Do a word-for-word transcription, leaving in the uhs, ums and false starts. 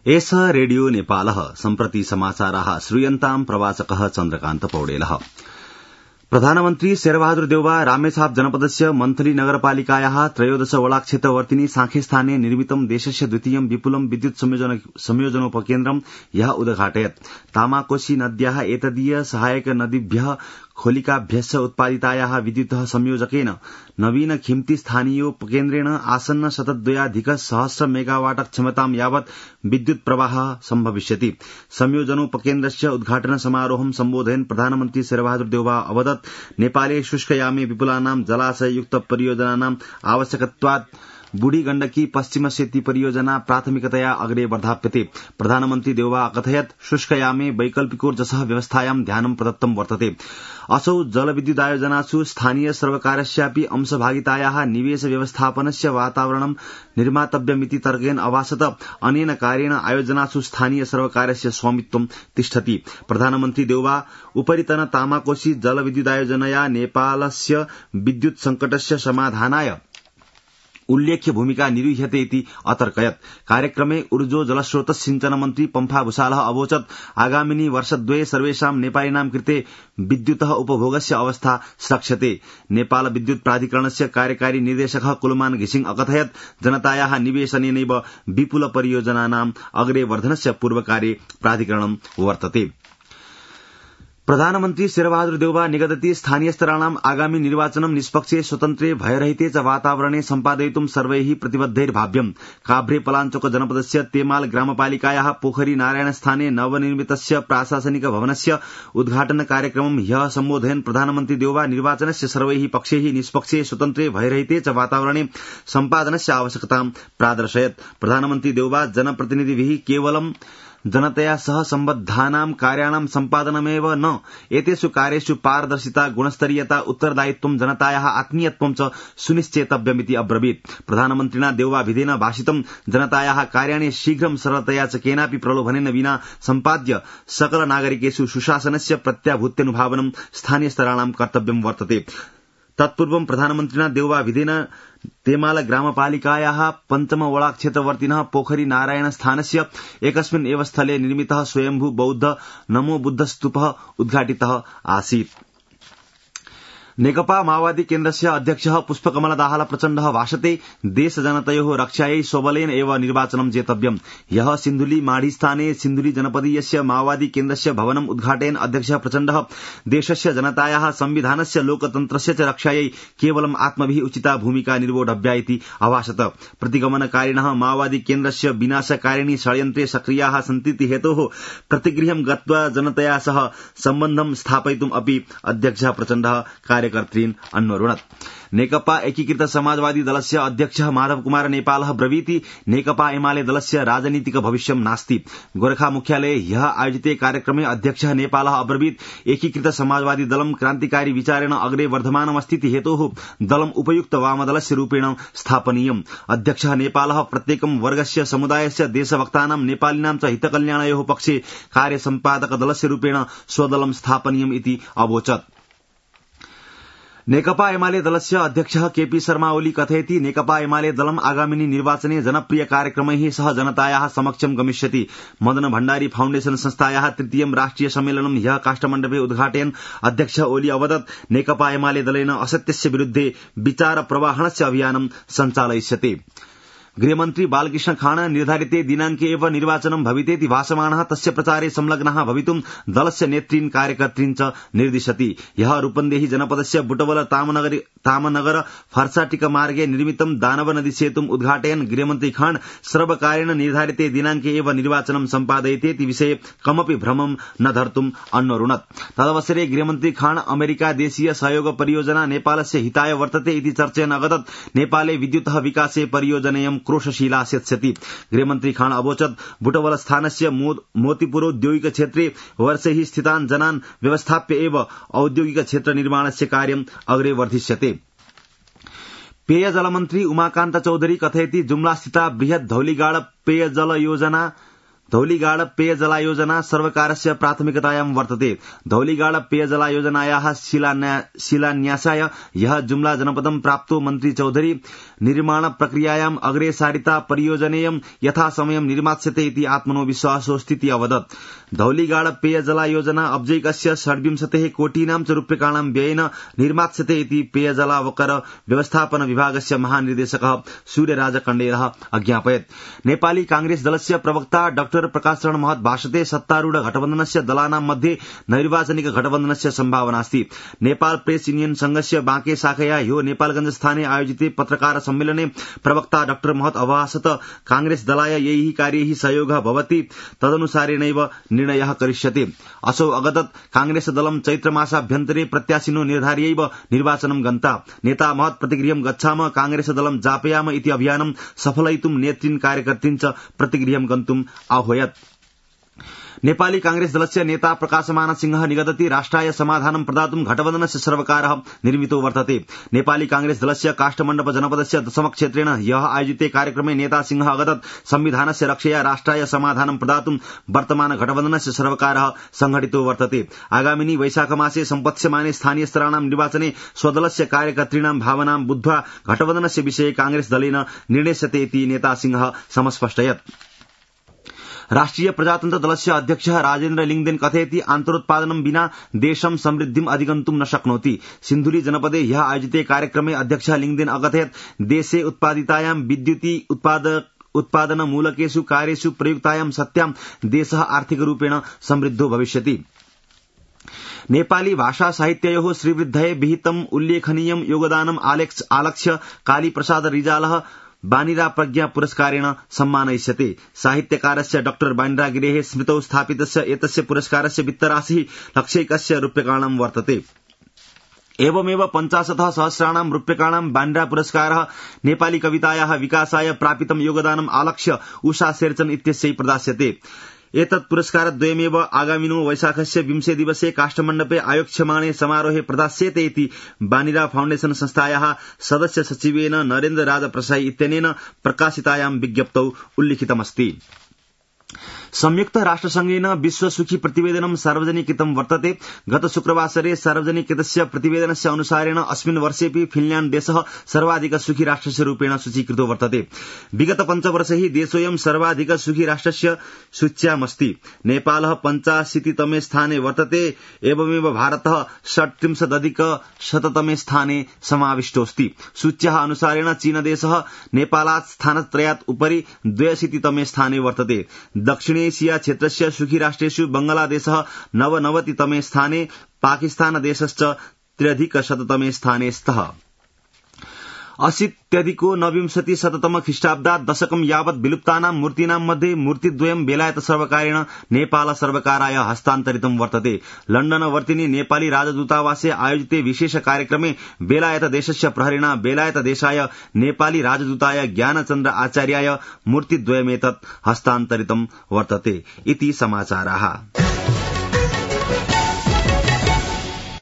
एष रेडियो नेपालः सम्प्रति समाचाराः श्रूयन्ताम् प्रवाचकः चन्द्रकान्त पौडेलः। प्रधानमन्त्री शेरबहादुर देउवा रामेछाप जनपदस्य मन्थली नगरपालिकायाः त्रयोदश वडाक्षेत्रवर्तिनी सांखेस्थाने निर्मितं देशस्य द्वितीयं विपुलं विद्युत संयोजनोपकेन्द्रं ह्यः उद्घाटयत्। तामाकोशी नद्याः एतदीय सहायक नदीभ्यः खोलिकाभ्यश्च उत्पादितायाः विद्युतः संयोजकेन नवीन खिम्ती स्थानीयोपकेन्द्रेण आसन्न शतद्वयाधिक सहस्र मेगावाट क्षमतां यावत् विद्युत प्रवाहः सम्भविष्यति। संयोजनोपकेन्द्रस्य उद्घाटन समारोहं सम्बोधयन् प्रधानमन्त्री शेरबहादुर देउवा अवदत् नेपाले शुष्कयामे विपुलानां जलाशययुक्त परियोजनानां आवश्यकत्वात् बूढ़ी गण्डकी पश्चिम सेती परियोजना प्राथमिकतया अग्रे वर्धाप्यते। प्रधानमन्त्री देउवा अकथयत् शुष्कयामे वैकल्पिकोर्जसः व्यवस्थायां ध्यानं प्रदत्तं वर्तते। असौ जलविद्युदायोजनासु स्थानीय सर्वकारस्यापि अंशभागितायाः निवेश व्यवस्थापनस्य वातावरणं निर्मातव्यमिति तर्केण अभासत अनेन कार्येण आयोजनासु स्थानीय सर्वकारस्य स्वामित्वं तिष्ठति। प्रधानमन्त्री देउवा उपरितन तामाकोशी जलविद्युदायोजनया नेपालस्य विद्युत संकटस्य समाधानाय उल्लेख्य भूमिका निरूह्यते इति अतर्कयत्। कार्यक्रमे ऊर्जो जलस्रोत सिंचन मन्त्री पम्फा भूषालः अवोचत् आगामिनी वर्षद्वये सर्वेषां नेपालिनां कृते विद्युतः उपभोगस्य अवस्था स्रक्ष्यते। नेपाल विद्युत प्राधिकरणस्य कार्यकारी निर्देशकः कुलमान घिसिङ अकथयत् जनतायाः निवेशनेनैव विपुल परियोजनानाम् अग्रे वर्धनस्य पूर्वकार्ये प्राधिकरणं वर्तते। प्रधानमन्त्री शेरबहादुर देउवा निगदति स्थानीयस्तराणाम् आगामी निर्वाचनं निष्पक्षे स्वतन्त्रे भयरहिते च वातावरणे सम्पादयितुं सर्वैः प्रतिबद्धैर्भाव्यम्। काभ्रे पलाञ्चोक जनपदस्य तेमाल ग्रामपालिकायाः पोखरी नारायणस्थाने नवनिर्मितस्य प्राशासनिक भवनस्य उद्घाटन कार्यक्रमं ह्यः सम्बोधयन् प्रधानमन्त्री देउवा निर्वाचनस्य सर्वैः पक्षैः निष्पक्षे स्वतन्त्रे भयरहिते च वातावरणे सम्पादनस्य आवश्यकतां प्रादर्शयत्। प्रधानमन्त्री देउवा जनप्रतिनिधिभिः केवलं जनतया सह सम्बद्धानां कार्याणां सम्पादनमेव न एतेषु कार्येषु पारदर्शिता गुणस्तरीयता उत्तरदायित्वं जनतायाः आत्मीयत्वं च सुनिश्चेतव्यमिति अब्रवीत्। प्रधानमन्त्रिणा देउवा विधेन भाषितं जनतायाः कार्याणि शीघ्रं सरलतया च केनापि प्रलोभनेन विना सम्पाद्य सकल नागरिकेषु सुशासनस्य प्रत्याभूत्यनुभावनं स्थानीयस्तराणां कर्तव्यं वर्तते। तत्पूर्वं प्रधानमन्त्रिणा देउवा विधेन तेमाल ग्रामपालिकायाः पञ्चम वडाक्षेत्रवर्तिनः पोखरी नारायण स्थानस्य एकस्मिन् एव स्थले निर्मितः स्वयंभू बौद्ध नमो बुद्ध स्तूपः उद्घाटितः आसीत्। नेकपा माओवादी केन्द्रस्य अध्यक्षः पुष्पकमल दाहाल प्रचण्डः भाषते देश जनतयोः रक्षायै स्वबलेन एव निर्वाचनं जेतव्यम्। ह्यः सिन्धुली माढीस्थाने सिन्धुली जनपदीयस्य माओवादी केन्द्रस्य भवनम् उद्घाटयन् अध्यक्षः प्रचण्डः देशस्य जनतायाः संविधानस्य लोकतन्त्रस्य च रक्षायै केवलम् आत्मभिः उचिता भूमिका निर्वोढव्या इति अभाषत। प्रतिगमनकारिणः माओवादी केन्द्रस्य विनाशकारिणी षड्यन्त्रे सक्रियाः सन्तीति हेतोः प्रतिगृहं गत्वा जनतया सह सम्बन्धं स्थापयितुम् अपि अध्यक्षः प्रचण्डः कार्यकर्तॄन् अन्वरुणत्। नेकपा एकीकृत समाजवादी दलस्य अध्यक्षः माधव कुमार नेपालः ब्रवीति नेकपा एमाले दलस्य राजनीतिक भविष्यं नास्ति। गोरखा मुख्यालये ह्यः आयोजिते कार्यक्रमे अध्यक्षः नेपालः अब्रवीत् एकीकृत समाजवादी दलं क्रान्तिकारी विचारेण अग्रे वर्धमानमस्तीति हेतोः दलम् उपयुक्त वामदलस्य रूपेण स्थापनीयम्। अध्यक्षः नेपालः प्रत्येकं वर्गस्य समुदायस्य देशभक्तानां नेपालिनां च हितकल्याणयोः पक्षे कार्यसम्पादक दलस्य रूपेण स्वदलं स्थापनीयम् इति अवोचत्। नेकपा एमाले दलस्य अध्यक्षः केपी शर्मा ओली कथयति नेकपा एमाले दलम् आगामिनी निर्वाचने जनप्रिय कार्यक्रमैः सह जनतायाः समक्षं गमिष्यति। मदन भण्डारी फाउण्डेशन संस्थायाः तृतीयं राष्ट्रिय सम्मेलनं ह्यः काष्ठमण्डपे उद्घाटयन् अध्यक्ष ओली अवदत् नेकपा एमाले दलेन असत्यस्य विरुद्धे विचार प्रवाहणस्य अभियानं सञ्चालयिष्यते। गृहमन्त्री बालकृष्ण खाण निर्धारिते दिनाङ्के एव निर्वाचनं भवितेति भासमानः तस्य प्रचारे संलग्नः भवितुं दलस्य नेतॄन् कार्यकर्तॄन् च निर्दिशति। ह्यः रूपन्देही जनपदस्य बुटवल तामनगर तामनगर फर्साटिक मार्गे निर्मितं दानव नदी सेतुम् उद्घाटयन् गृहमन्त्री खाण सर्वकारेण निर्धारिते दिनाङ्के एव निर्वाचनं सम्पादयितेति विषये कमपि भ्रमं न धर्तुम् अन्वरुणत्। तदवसरे गृहमन्त्री खाण अमेरिका देशीय सहयोग परियोजना नेपालस्य हिताय वर्तते इति चर्चयन् अवदत् नेपाले विद्युतः विकासे परियोजनेयं क्रोशशीला सेत्स्यति। गृहमन्त्री खाण अवोचत् बुटवल स्थानस्य मोतीपुरोद्योगिक क्षेत्रे वर्षैः स्थितान् जनान् व्यवस्थाप्य एव औद्योगिक क्षेत्र निर्माणस्य कार्यम् अग्रे वर्धिष्यते। पेयजल मन्त्री उमाकान्त चौधरी कथयति जुम्ला स्थिता बृहत् धौलीगाड पेयजल योजना धौलीगाड पेयजलायोजना सर्वकारस्य प्राथमिकतायां वर्तते। धौलीगाड पेयजलायोजनायाः शिलान्यासाय ह्यः जुम्ला जनपदं प्राप्तो मन्त्री चौधरी निर्माण प्रक्रियायाम् अग्रे सारिता परियोजनेयं यथा समयं निर्मास्यते इति आत्मनो विश्वासोऽस्तीति अवदत्। धौलीगाड पेयजलायोजना अब्जैकस्य षड्विंशतेः कोटीनां च रूप्यकाणां व्ययेन निर्मास्यते इति पेयजलावकर व्यवस्थापन विभागस्य महानिर्देशकः सूर्यराज कण्डेरः अज्ञापयत्। नेपाली कांग्रेस दलस्य प्रवक्ता डाक्टर प्रकाश चरण महत भाषते सत्तारूढ़ गठबन्धनस्य दलानां मध्ये नैर्वाचनिक गठबन्धनस्य सम्भावनास्ति। नेपाल प्रेस यूनियन संघस्य बाँके शाखया ह्यो नेपालगंज स्थाने आयोजिते पत्रकार सम्मेलने प्रवक्ता डाक्टर महत अभाषत कांग्रेस दलाय यैः कार्यैः सहयोगः भवति तदनुसारेणैव निर्णयः करिष्यते। असौ अगदत् कांग्रेस दलं चैत्रमासाभ्यन्तरे प्रत्याशिनो निर्धार्यैव निर्वाचनं गन्ता। नेता महत प्रतिगृहं गच्छाम कांग्रेस दलं जापयाम इति अभियानं सफलयितुं नेतृन् कार्यकर्तृन् च प्रतिगृहं गन्तुम् आह्वयत्। नेपाली कांग्रेस दलस्य नेता प्रकाशमान सिंह निगदति राष्ट्राय समाधानं प्रदातुं घटबन्धनस्य सर्वकारः निर्मितो वर्तते। नेपाली कांग्रेस दलस्य काष्ठमण्डप जनपदस्य दशमक्षेत्रेण ह्यः आयोजिते कार्यक्रमे नेता सिंह अगदत् संविधानस्य रक्षया राष्ट्राय समाधानं प्रदातुं वर्तमान घटबन्धनस्य सर्वकारः संघटितो वर्तते। आगामिनि वैशाखमासे सम्पत्स्यमाने स्थानीय स्तराणां निर्वाचने स्वदलस्य कार्यकर्तॄणां भावनां बुद्ध्वा घटबन्धनस्य विषये कांग्रेस दलेन निर्णेष्यते इति नेता सिंह समस्पष्टयत्। राष्ट्रिय प्रजातन्त्र दलस्य अध्यक्षः राजेन्द्र लिङ्गदेन कथयति आन्तरोत्पादनं विना देशं समृद्धिम् अधिगन्तुं न शक्नोति। सिन्धुली जनपदे ह्यः आयोजिते कार्यक्रमे अध्यक्षः लिङ्गदेन अकथयत् देशे उत्पादितायां विद्युति उत्पादन मूलकेषु कार्येषु प्रयुक्तायां सत्यां देशः आर्थिकरूपेण समृद्धो भविष्यति। नेपाली भाषा साहित्ययोः श्रीवृद्धये विहितम् उल्लेखनीयं योगदानम् आलक्ष्य कालीप्रसाद रिजालः बानिरा प्रज्ञा पुरस्कारेण सम्मानयिष्यते। साहित्यकारस्य डॉक्टर बानिरा गिरेः स्मृतौ स्थापितस्य एतस्य पुरस्कारस्य वित्तराशिः लक्षैकस्य रूप्यकाणां वर्तते। एवमेव पञ्चाशत् सहस्राणां रूप्यकाणां बानिरा पुरस्कारः नेपाली कवितायाः विकासाय प्रापितं योगदानम् आलक्ष्य उषा शेरचन इत्यस्यै प्रदास्यते। एतत् पुरस्कारद्वयमेव आगामिनो वैशाखस्य विंशे दिवसे काष्ठमण्डपे आयोक्ष्यमाणे समारोहे प्रदास्यते इति बानिरा फाउण्डेशन संस्थायाः सदस्य सचिवेन नरेन्द्र राज प्रसाई इत्यनेन प्रकाशितायां विज्ञप्तौ उल्लिखितमस्ति। संयुक्त राष्ट्रसंघेन विश्व सुखी प्रतिवेदनं सार्वजनिकीकृतं वर्तते। गत शुक्रवासरे सार्वजनिकीकृतस्य प्रतिवेदनस्य अनुसारेण अस्मिन् वर्षेऽपि फिनल्याण्ड देशः सर्वाधिक सुखी राष्ट्रस्य रूपेण सूचीकृतो वर्तते। विगत पञ्चवर्षैः देशोऽयं सर्वाधिक सुखी राष्ट्रस्य सूच्यामस्ति। नेपालः पञ्चाशीतितमे स्थाने वर्तते। एवमेव भारतः षट्त्रिंशदधिक शततमे स्थाने समाविष्टोऽस्ति। सूच्याः अनुसारेण चीनदेशः नेपालात् स्थानत्रयात् उपरि द्व्यशीतितमे स्थाने वर्तते। दक्षिण एशिया क्षेत्रस्य सुखी राष्ट्रेषु बांग्लादेशः नवनवतितमे स्थाने, पाकिस्तान देशश्च त्र्यधिकशततमे स्थाने स्तः। अशीत्यधिको नवविंशति शततम ख्रीष्टाब्दात् दशकं यावत् विलुप्तानां मूर्तीनां मध्ये मूर्तिद्वयं बेलायत सर्वकारेण नेपाल सर्वकाराय हस्तान्तरितं वर्तते। लण्डनवर्तिनि नेपाली राजदूतावासे आयोजिते विशेष कार्यक्रमे बेलायत देशस्य प्रहरिणा बेलायत देशाय नेपाली राजदूताय ज्ञानचन्द्र आचार्याय मूर्तिद्वयमेतत् हस्तान्तरितं वर्तते इति समाचाराः।